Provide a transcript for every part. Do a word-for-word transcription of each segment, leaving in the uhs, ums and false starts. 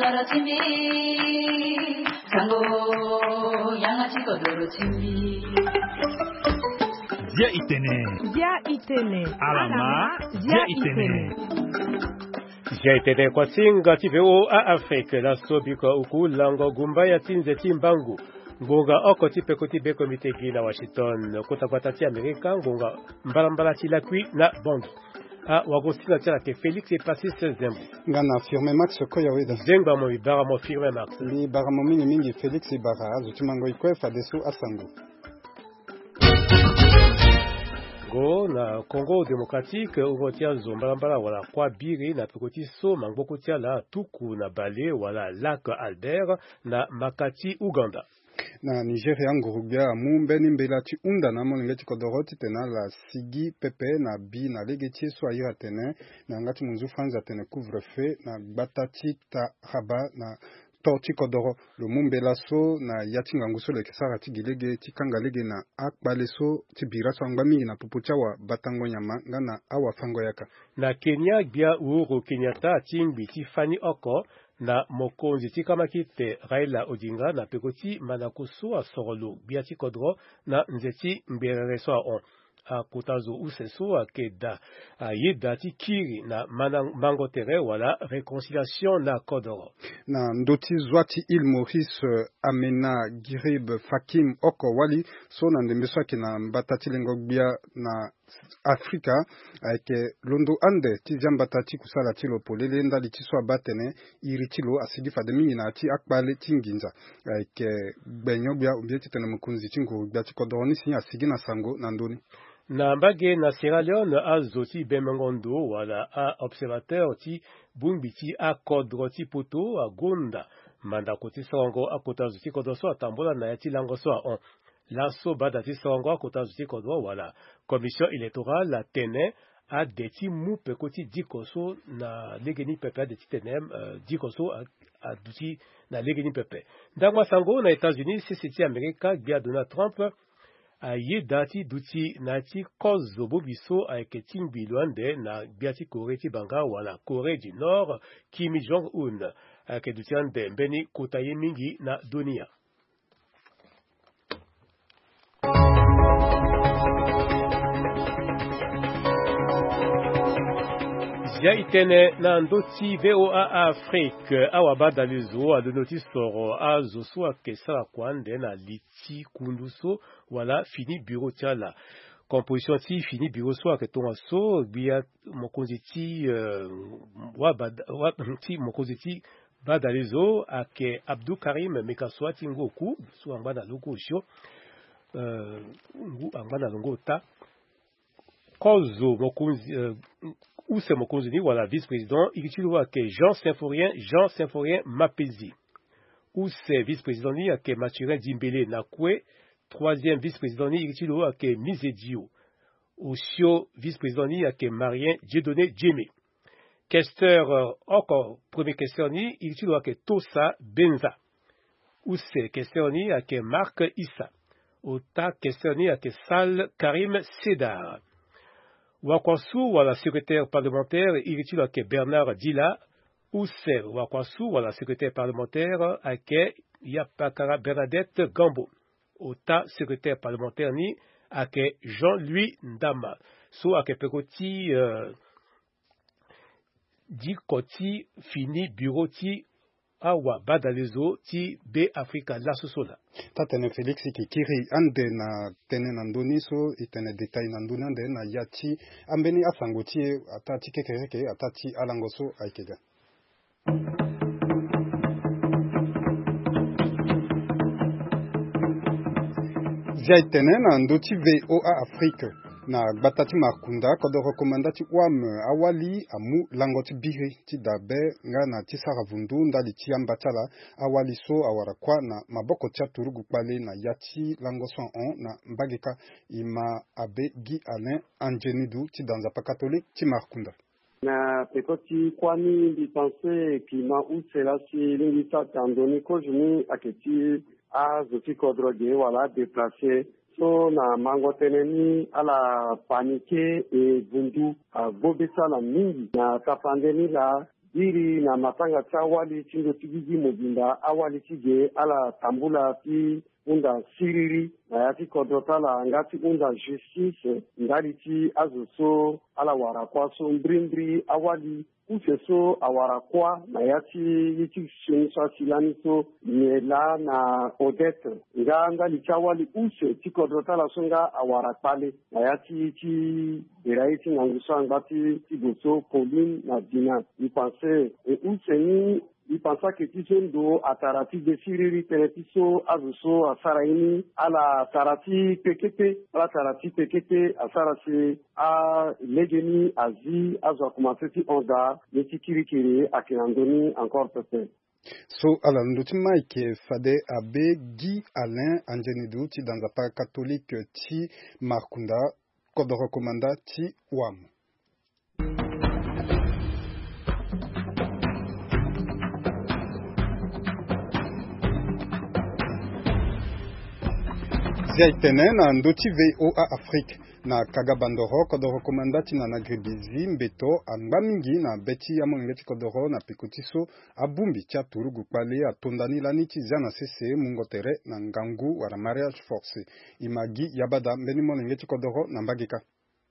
Dia itene. Dia itene. Alama. Dia itene. Dia itene kwa singa ti V O A Afrique, laso biko uku lango gumba ya ti nze ti mbangu. Ngbonga oko ti peko ti be komite gi na Washington, kota gbata ti Amerika, ngbonga mbalambala ti lakui na Bongi. A wago sina ti ala ke Félix Epasis Zembo. Nga na Firmin Max Koyaweda. Zengba mo, mi bara mo Firmin Max. Mi bara mo mingi mingi Félix, e bara azo ti mango e kue fadeso asango. Go na Congo Démocratique, uro ti azo mbalambala wala kua biri na peko ti so mangboko ti ala tuku na bale wala Lac Albert na maka ti Ouganda. Na Nigeria, nguru-gbia amu mbeni mbela ti hunda na amolenge ti kodoro titene ala sigi pepe na bi na lege ti ye so a iri atene na yanga ti munzu Franz atene couvre-feu na gbata ti Taraba na to ti kodoro. Lo mu mbela so na ya ti ngangu so lo yeke sara ti gi lege ti kanga lege na akpale so ti bira so angba mingi na popo ti awabatango nyama nga na awafango-yaka. Na Kenya, gbia Uhuru Kenyatta atingbi ti fani oko na mokonzi ti kamakite Raila Odinga na peko ti mandako so asoro lo gbia ti kodro na nze ti ngberere so ahon. Akota zo use so ayeke daa ayeda ti kiri na mana mango tere wala réconciliation na kodoro. Na ndö ti zwa ti Île Maurice, eh, Amena Girib Fakim oko wali so na ndembe so ayeke na mbata ti lengo gbia na Afrika ayeke londo ande ti zia mbata ti kusala ti lo polele ndali ti so abaa atene iri ti lo asigi fade mingi na ya ti akpale ti nginza. Ayeke gbenyo-gbia ou bien titene mokonzi ti nguru-gbia ti kodro ni si asigi na sango na ndö ni. Na mbage na Sierra Leone, azo ti bemengo ndo wala a-observateur ti bongbi ti akodro ti poto agonda mandako ti sorongo akota zo ti kodro so atambula na ya ti lango so ahon. Laso bada ti sorongo akota zo ti kodro wala commission électorale atene ade ti mu peko ti diko so na legeni pepe, ade titene, eh, diko so a- aduti na legeni pepe. Ndangba sango na États-Unis, sese ti Amerika, gbia Donald Trump ayeda ti duti na ya ti kozo bongbi so ayeke tingbi lo ande na gbia ti Corée ti banga wala Corée du Nord, Kim Jong-un. Ayeke duti ande mbeni kota ye mingi na dunia. Zia e tene na ndö ti V O A Afrique, awabadalezo alondo ti soro azo so ayeke sara kua ande na li ti kundu so wala fini bureau ti ala. Composition ti fini bureau so ayeke tongaso, gbia mokonzi ti, eh, wabada- wa- ti mokonzi ti badalezo ayeke Abdou Karim Mekassoua ti Ngoku, so angba na lo ngo osio, eh, ngu angba na lo ngo ota. Kozo mokonzi, eh, use mokonzi ni wala vice-président, iri ti lo ayeke Jean Symphorien, Jean Symphorien Mapenzi. Use vice-président ni ayeke Mathurin Dimbele na kue. Troisième vice-président ni iri ti lo ayeke Mize Dio. Osio vice-président ni ayeke Marien Dieudonné Diémé. Questeur, euh, oko premier questeur ni iri ti lo ayeke Tosa Benza. Use questeur ni ayeke Marc Issa. Ota questeur ni ayeke Sal Karim Sedar. Wakuasu wala secrétaire parlementaire iri ti lo ayeke Bernard Dila. Use wakuasu wala secrétaire parlementaire ayeke Yapakara Bernadette Gambo. Ota secrétaire parlementaire ni ayeke Jean-Louis Ndama. So ayeke peko ti, euh, diko ti fini bureau ti awabadalezo ti Be Afrika laso so laa. Taa-tene Félix, e yeke kiri ande na tënë na ndö ni so e tene détail na ndö ni ande na ya ti ambeni asango ti e ataa ti kekereke ataa ti alango so ayeke ga. Zia e tene na ndö ti V O A Afrique, na gbata ti Markunda, kodoro komanda ti wam awali amu lango ti biri ti dabe nga na ti sara vundu ndali ti amba ti ala. Awali so awara kuâ na maboko ti aturugu kpale na ya ti lango so ahon na mbage kâ. E ma abe Guy Alain Andienidu ti da Nzapa Catholique ti Markunda. Na peko ti kuâ ni mbi pense e ke ma use laa si e lingbi sara tandoni kozo ni ayeke ti azo ti kodro ge wala adéplace so na mango tënë ni ala paniqué e vundu agbo be ti ala mingi na tapande ni laa. iri na matanga ti awali ti ndö ti gigi mobimba, awali ti ge ala tambula ti hunda siriri na ya ti kodro ti ala nga ti hunda justice ndali ti azo so ala wara kuâ so. Mbrimbri awali use so awara kuâ na ya ti ye ti sioni so asi lani so, nyen laa na Odette nga ndali ti awali use ti kodro ti ala so nga awara kpale na ya ti ye ti bira ye ti ngangu so angba ti ti go so Pauline na Dina. Mbi panse e use ni, mbi panse ayeke ti so ndo atara ti de siriri tënë ti so azo so asara ye ni ala tara ti pekete, ala tara ti pekete asara si alegeni azi azo akomanse ti hon daa. Ye ti kirikiri ayeke na ndö ni encore pepe. So ala na ndö ti Mike fade abe Guy Alain Anzenidu ti da nzapa katolike ti Markunda, kodoro komanda ti Wam. Zia etene na ndö ti V O A Afrique. Na Kagabandoro, kodoro komanda ti na na Gribizi, mbeto angba mingi na be ti amolenge ti kodoro na peko ti so abongbi ti aturugu kpale atonda ni lani ti zia na sese mungo tere na ngangu wala mariage forcé. E ma gi yabada mbeni molenge ti kodoro na mbage kâ.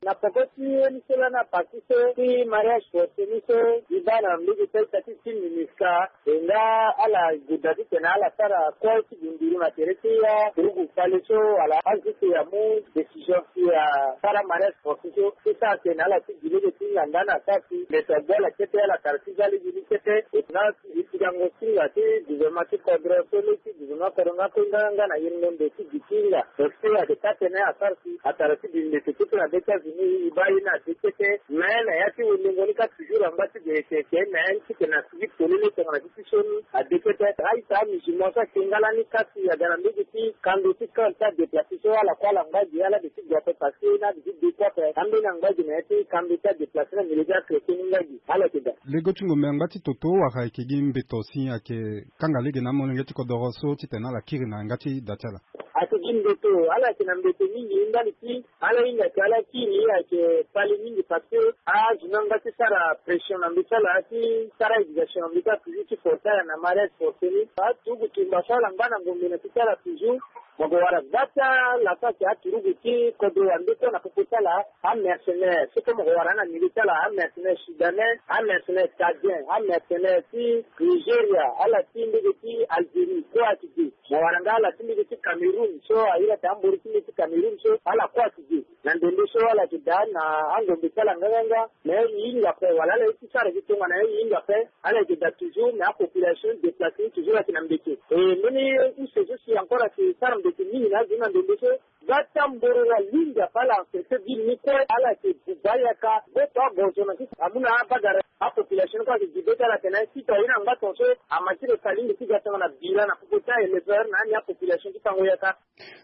Na peko ti ye ni so lani aparti so ti mariage forcé ni so, e baa na mbage ti a-ita ti ti MINUSCA. E nga ala goda titene ala sara kue ti gunzuru na tere ti aturugu kpale so, wala azo ti amu décision si asara mariage forcé so, ti sara atene ala ti gi lege ti hinga nda na sara si mbeto agbu ala kete, ala tara ti za lege ni kete. E na e ti gango singa ti gouvernement ti kodro so, lege ti gouvernement kodro nga kue nga nga na yirindembe ti gi ti hinga. Donc so ayeke taa tënë asara si atara ti bi mbeto kete na be ti azo ni, e baa ye ni ade kete. Me na ya ti wendengo ni kâ toujours angba ti ge yeke ke me ti ke na sigi polele tongana ti ti so ni ade kete. A-ita amusulman so ayeke nga lani kâ si aga na mbage ti kando ti camp ti adéplacé so, ala kue ala ngba gi, ala de ti gue ape parce que na de ti de kue ape. Ambeni angba gi na ya ti kando ti adéplacé na milieu ti achrétien ni ngba gi. Ala yeke daa. Lego ti ngombe angba ti toto wala ayeke gi mbeto si ayeke kanga lege na amolenge ti kodoro so titene ala kiri na yanga ti da ti ala? Ayeke gi mbeto, ala yeke na mbeto mingi ndali ti ala hinga ke ala kiri, ayeke kpale mingi parce que azo ni angba ti sara pression na ndö ti ala ti sara éducation na ndö ti ala toujours ti forcer ala na mariage forcé ni. Aturugu tumba so ala ngba na ngombe na ti ti ala toujours. Mo yeke wara gbata la so ayeke aturugu ti kodro wande kue na popo ti ala, amercenaire. So kue mo yeke wara na milieu ti ala, amercenaire soudanais, amercenaire tchadien, amercenaire ti Nigeria, ala ti mbage ti Algérie kue ayeke ge. Mo wara nga ala ti mbage ti Cameroun so, a iri ate amboro ti mbage ti Cameroun so, ala kue ayeke ge. Na ndembe so ala yeke daa na angombe ti ala nganganga. Me e hinga ape wala ala ye ti sara gi tongana ye, e hinga ape. Ala yeke daa toujours, me apopulation déplacé ni toujours ayeke na mbeke. E mbeni use so si encore ayeke sara mbeke mingi na azo ni na ndembe so. Gbata mboro wala lingbi ape ala encerclé ville ni kue, ala yeke buba yaka. Gboto agozo na sisi amu na abagara. Apopulation ni kue ayeke gi be ti ala atene si to aye na ngba tongaso, ama ti lo salingbi ti ga tongana bira na popo ti a-éleveur na ani apopulation ti tango yaka.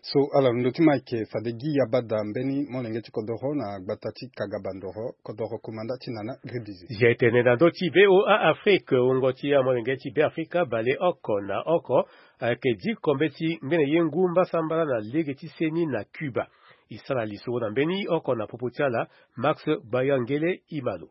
So ala londo ti Mike fade gi yabada mbeni molenge ti kodoro na gbata ti Kagabandoro, kodoro komanda ti nana Gribizi. Zia etene na ndö ti V O A Afrique, wungo ti amolenge ti Beafrika baleoko na oko ayeke diko mbeti ngbene ye ngu mbasambala na lege ti seni na Cuba. E sara lisoro na mbeni oko na popo ti ala, Max Bayangele Imalo.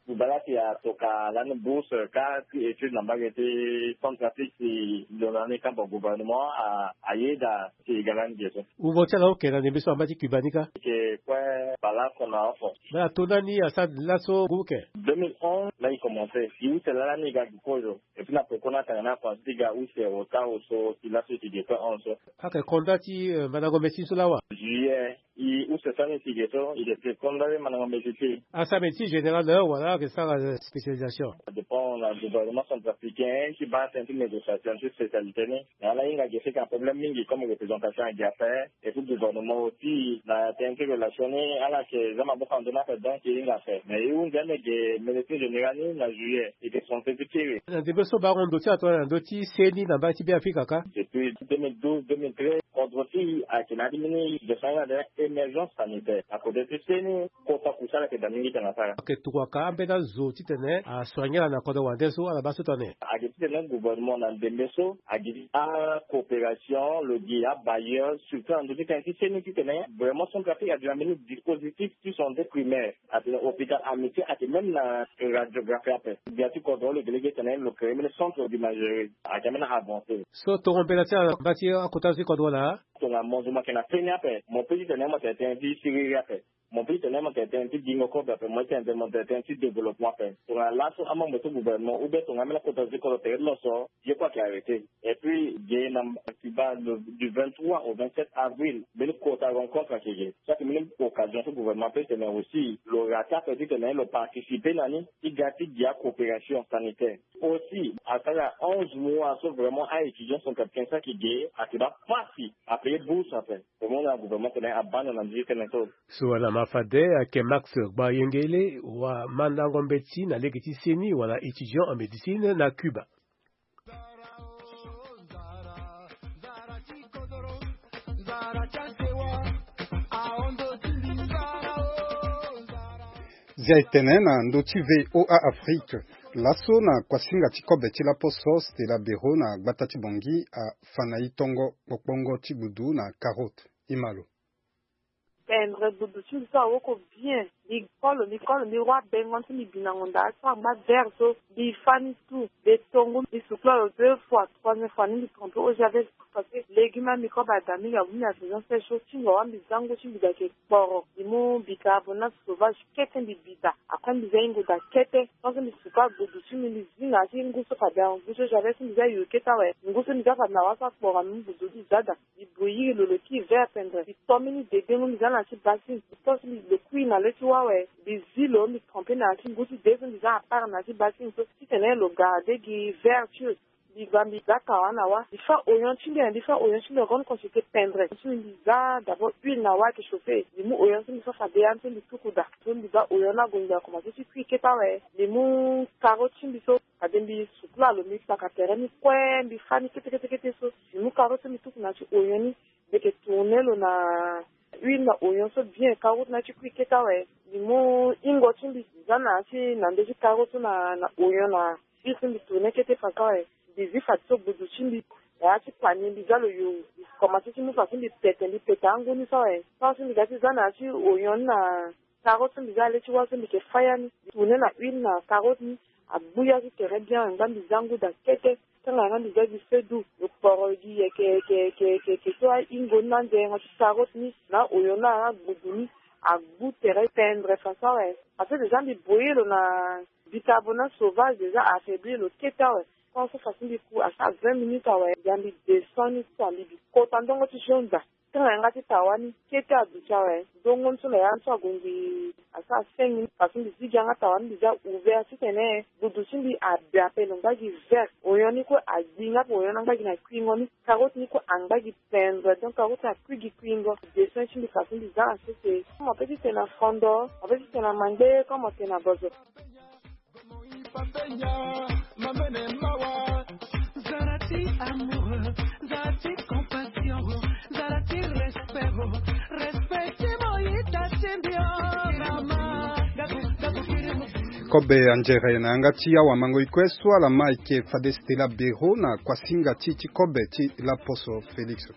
Bubala si atoka lani bourse kâ ti étude na mbage ti Centrafrique si lo na ni kamba gouvernement a, ayeda si e ga lani ge so. Wungo ti ala oke na ndembe so amba ti Cuba ni kâ? E yeke kue baleoko na oko. Me ato na ni asara laso ngu oke? Deux mille onze laa e commencé. E use laa lani e ga gi kozo. Et puis na peko ni atanga ni akonda ti ga use retard so si laso e ti ge kue onze so. Ayeke konda ti, euh, mandango médecine so laa wa? Juillet. E use so ani ti ge so, e yeke konda ti mandango médecine. Asara médecine générale wala ayeke sara, euh, spécialisation? Adépend na gouvernement centrafricain ti baa tënë ti négociation ti spécialité ni. Na ala hinga ge si ayeke na problème mingi comme représentation ayeke ge ape. Et puis gouvernement aussi na tënë ti relation ni ala yeke za maboko na ndö ni ape, donc e hinga ape. Mais e hunzi ame ge médecine générale ni na juillet. E yeke français ti kiri. Na ndembe so bango ndo ti ala tongana na ndö ti seni na mbage ti Beafrika kâ? Depuis deux mille douze, deux mille treize. Kodro ti e ayeke na ya ti mbeni situation ni na daa émergence sanitaire na kote ti seni. Kota kusala ayeke daa mingi tene asara. Ayeke tukuaka ambeni azo titene asoignela na kodro wande so ala baa so tene ayeke titene gouvernement na ndembe so agi acoopération lo gi abailleur surtout na ndö ti tene ti seni titene vraiment Centrafrique agi na mbeni dispositif ti santé primaire. Atene hôpital Amitié ayeke même na radiographie ape. Bia ti kodro lo gi lege titene lo créer mbeni centre d'imagerie ayeke même na avancé. So tongo mbela ti ala na mba ti akota zo ti kodro laa. Tongana mo zo mo yeke na feni ape mo pe titene mo tene tënë ti siriri ape. Mo pe titene mo tene tënë ti gingo kobe ape mo tene tënë ti développement ape. Tongana laso amembre ti gouvernement ou bien tongana ambeni akota zo ti kodro tere ti lo so ye kue ayeke arrêté. Et puis ge na Cuba du vingt-trois au vingt-sept avril mbeni kota rencontre ayeke ge. So ayeke mbeni occasion ti gouvernement pe titene aussi lo raté ape titene lo participer na ni ti ga ti gi acoopération sanitaire. Aussi asara onze mois so vraiment a-étudiant centrafricain so ayeke ge ayeke baa pasi ape ye bourse ape. Vraiment na gouvernement tene abaa na ndö ti tënë so. So wala ma fade ayeke Max Gbayengele wa mandango mbeti na lege ti seni wala étudiant en médecine na Cuba. Zia etene na ndö ti V O A Afrique. Laso na kuasinga ti kobe ti laposo Stella Bero na gbata ti Bangui afa na e tongo kpokpongo ti gbudu na carotte. E ma lo. Pendre gbudu ti mbi so awoko bien. Mbi kolo mbi kolo mbi roi bengo ti mbi bi na ngonda so angba vert so mbi fa ni tout. Mbi tongu mbi sukula lo deux fois, troisième fois ni mbi trompe eau javel. Parce que légume ambi kobe ada mingi abu mbi na saison sèche so ti ngonda wa mbi za ngu ti mbi da yeke kporo. Mbi mu bicarbonate sauvage kete mbi bi da. Après mbi za e ngu da kete. Tant que mbi sukula gbudu ti mbi mbi zi na ya ti ngu so fade angu ti eau javel so mbi za yuru kete awe. Ngu so mbi za fade na wa so akporo mbi mu gbudu ti mbi za da. Mbi bouillir lo, lo ki vert pendre. Mbi to mbeni dede ngu mbi za na ya ti basin. Mbi to si mbi lo kui na le ti wa awe. Mbi zi lo mbi trompe na ya ti ngu ti de so mbi za à part na ya ti basin so. Titene lo garder gi vert ti lo. Mbi gba mbi za kawa na wa. Mbi fa oignon ti mbi, mbi fa oignon ti mbi en grande quantité pendre. Ti mbi, mbi za d'abord huile na wa ayeke chauffer. Mbi mu oignon ti mbi so fade ya so mbi tuku da. So mbi za oignon ni ague mbi akomanse ti kui kete awe. Mbi mu carotte ti mbi so. Fade mbi sukula lo mbi kpaka tere ni kue mbi fa ni kete kete kete so. Mbi mu carotte so mbi tuku na ya ti oignon ni. Mbi yeke tourner lo na huile na oignon so bien carotte ni ti kui kete awe. Mbi mu ingo ti mbi mbi za na ya ti na ndö ti carotte so na na oignon na huile so mbi tourner kete fadeso awe. Mbi zi fadeso gbudu ti mbi na ya ti panier mbi za lo yo. Mbi komanse ti mu fadeso mbi pete mbi pete angu ni so awe. Fadeso mbi ga ti za na ya ti oignon ni na carotte so mbi za na le ti wa so mbi yeke fa ya ni. Mbi tourner na huile na carotte ni. Agbu ya ti tere bien ngba mbi za ngu da kete. Tanga yanga mbi za gi feu doux lo kporo gi yeke yeke yeke yeke so aingo ni na nzengo ti carotte ni na oignon ni na gbudu ni. Agbu tere pendre fadeso awe. Parce que déjà mbi boyer lo na bicarbonate sauvage déjà a affaiblir lo kete awe. Tant so fadeso mbi ku asara vingt minutes awe ya mbi descend ni so mbi bi kota ndongo ti jaune da. Tanga yanga ti tawa ni kete aduti awe. Ndongo ni so na ya ni so ague mbi asara cinq minutes parce que mbi zi gi yanga tawa ni mbi za ouvert titene gbudu ti mbi abi ape lo ngba gi vert. Oignon ni kue agbi nga ape oignon ni angba gi na kuingo ni. Carotte ni kue angba gi pendre donc carotte akui gi kuingo. Descend ti mbi fadeso mbi za na sese. Mo pe titene na fondo mo pe titene na mangbe comme mo tene na bozo. Kobe anzere na yanga ti awa mango ikue so ala ma eke fade Stella Bero na kuasinga ti ti kobe ti laposo Félix.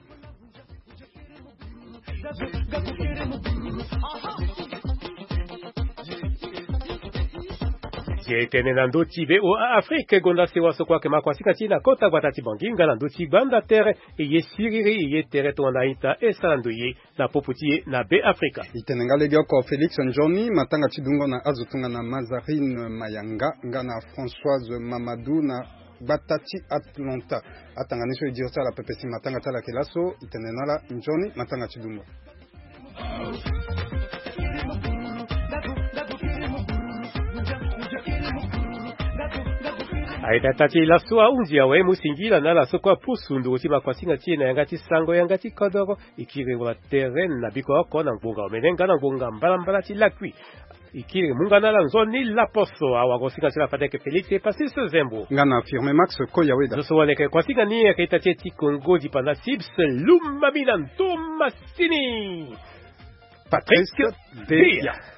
Ye tene na ndö ti V O A Afrique gonda sewa so kue ayeke ma kuasinga ti e na kota gbata ti Bangui nga na ndö ti gbanda tere. E ye siriri e ye tere tongana a-ita e sara ndo ye na popo ti e na Be Afrika. E tene nga legeoko Félix Nzoni, matanga ti dungo na azo tongana Mazarine Mayanga nga na Françoise Mamadou na gbata ti Atlanta. Atanga ni so e diri ti ala pepe si matanga ti ala yeke laso, e tene na ala nzoni matanga ti dungo. Aita ta ti e laso ahunzi awe mu singila na ala so kue apusu nduru ti makuasinga ti e na yanga ti sango yanga ti kodoro. E kiri wala tere na biko oko na ngbonga omene nga na ngbonga mbalambala ti lakui. Ikiri munga na ala nzoni laposo awa gosinga ti ala fade ayeke Félix e Pasis Zembo. Nga na Firme Max Koyaweda. Zo so wala yeke kuasinga ni ayeke ita ti e ti Kongo dipanda Sips Lumamina Ntomasini. Patrick Beya.